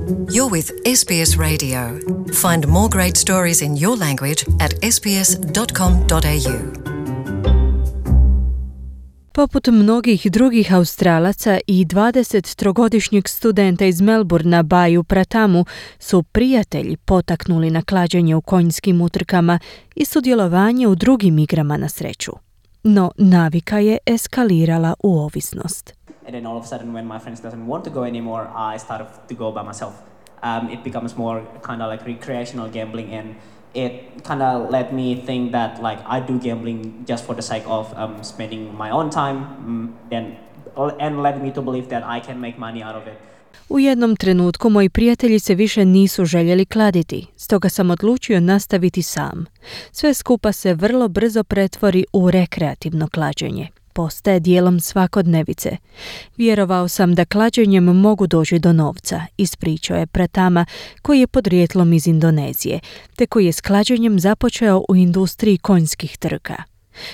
You're with SBS Radio. Find more great stories in your language at sbs.com.au. Poput mnogih drugih Australaca i 23-godišnjeg studenta iz Melbourna Baju Pratamu su prijatelji potaknuli na klađenje u konjskim utrkama i sudjelovanje u drugim igrama na sreću. No navika je eskalirala u ovisnost. And then all of a sudden when my friends doesn't want to go anymore, I started to go by myself. It becomes more kind of like recreational gambling, and it kind of let me think that like I do gambling just for the sake of spending my own time, and led me to believe that I can make money out of it. U jednom trenutku moji prijatelji se više nisu željeli kladiti, stoga sam odlučio nastaviti sam. Sve skupa se vrlo brzo pretvori u rekreativno klađenje. Postaje dijelom svakodnevice. Vjerovao sam da klađenjem mogu doći do novca, ispričao je Pratama, koji je podrijetlom iz Indonezije, te koji je s klađenjem započeo u industriji konjskih trka.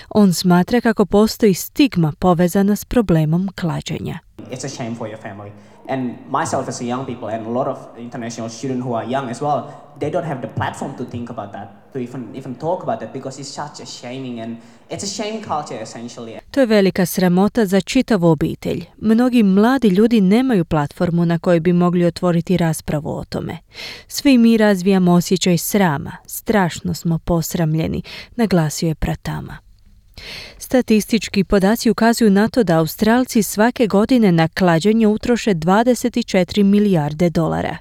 On smatra kako postoji stigma povezana s problemom klađenja. It's a shame for your family. And myself as a young people and a lot of international students who are young as well, they don't have the platform to think about that, to even talk about it, because it's such a shaming and it's a shame culture essentially. To je velika sramota za čitavu obitelj. Mnogi mladi ljudi nemaju platformu na kojoj bi mogli otvoriti raspravu o tome. Svi mi razvijamo osjećaj srama, strašno smo posramljeni, naglasio je Pratama. Statistički podaci ukazuju na to da Australci svake godine na klađenje utroše 24 milijarde dolara.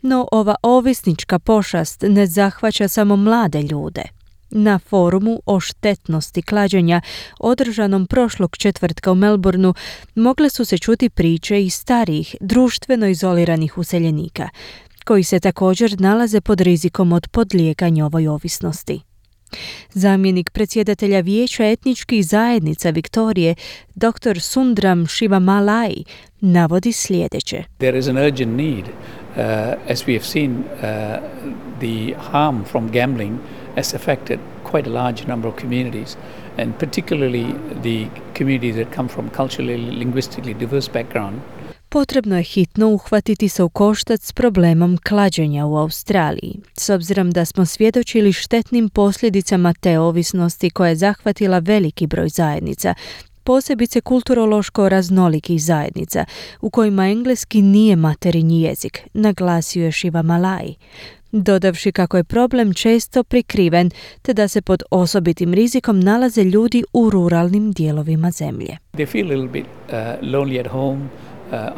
No ova ovisnička pošast ne zahvaća samo mlade ljude. Na forumu o štetnosti klađenja, održanom prošlog četvrtka u Melbourneu, mogle su se čuti priče i starijih, društveno izoliranih useljenika, koji se također nalaze pod rizikom od podlijeganja ovoj ovisnosti. Zamjenik predsjedatelja Vijeća etničkih zajednica Viktorije, dr. Sundram Shivamalai, navodi sljedeće. There is an urgent need, as we have seen, the harm from gambling has affected quite a large number of communities, and particularly the communities that come from culturally, linguistically diverse background. Potrebno je hitno uhvatiti se u koštac s problemom klađenja u Australiji, s obzirom da smo svjedočili štetnim posljedicama te ovisnosti koja je zahvatila veliki broj zajednica, posebice kulturološko raznolikih zajednica, u kojima engleski nije materinji jezik, naglasio je Shivamalai, dodavši kako je problem često prikriven, te da se pod osobitim rizikom nalaze ljudi u ruralnim dijelovima zemlje. They feel a little bit lonely at home,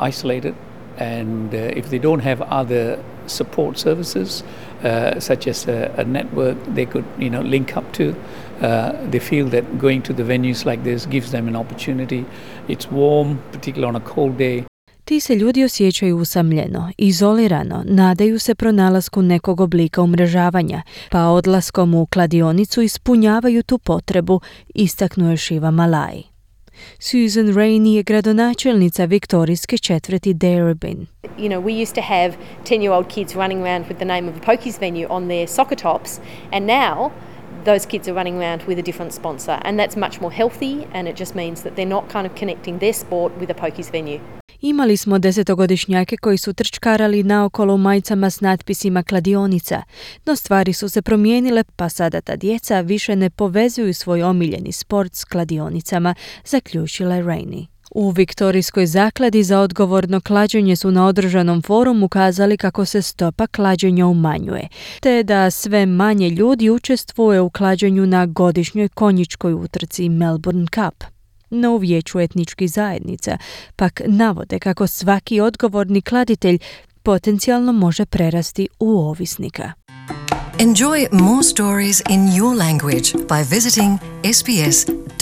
isolated, and if they don't have other support services such as a network they could link up to, they feel that going to the venues like this gives them an opportunity. It's warm, particularly on a cold day. Ti se ljudi osjećaju usamljeno, izolirano, nadaju se pronalasku nekog oblika umrežavanja, pa odlaskom u kladionicu ispunjavaju tu potrebu, istaknuo je Shivamalai. Susan Rainey je gradonačelnica viktorijske četvrti Darebin. You know, we used to have 10-year-old kids running around with the name of a pokies venue on their soccer tops, and now those kids are running around with a different sponsor, and that's much more healthy, and it just means that they're not kind of connecting their sport with a pokies venue. Imali smo 10-godišnjake koji su trčkarali naokolo u majicama s natpisima kladionica, no stvari su se promijenile, pa sada ta djeca više ne povezuju svoj omiljeni sport s kladionicama, zaključila je Rainey. U Viktorijskoj zakladi za odgovorno klađenje su na održanom forumu ukazali kako se stopa klađenja umanjuje, te da sve manje ljudi učestvuje u klađenju na godišnjoj konjičkoj utrci Melbourne Cup. No u Vijeću etničkih zajednica pak navode kako svaki odgovorni kladitelj potencijalno može prerasti u ovisnika. Enjoy more stories in your language by visiting sbs.com.au.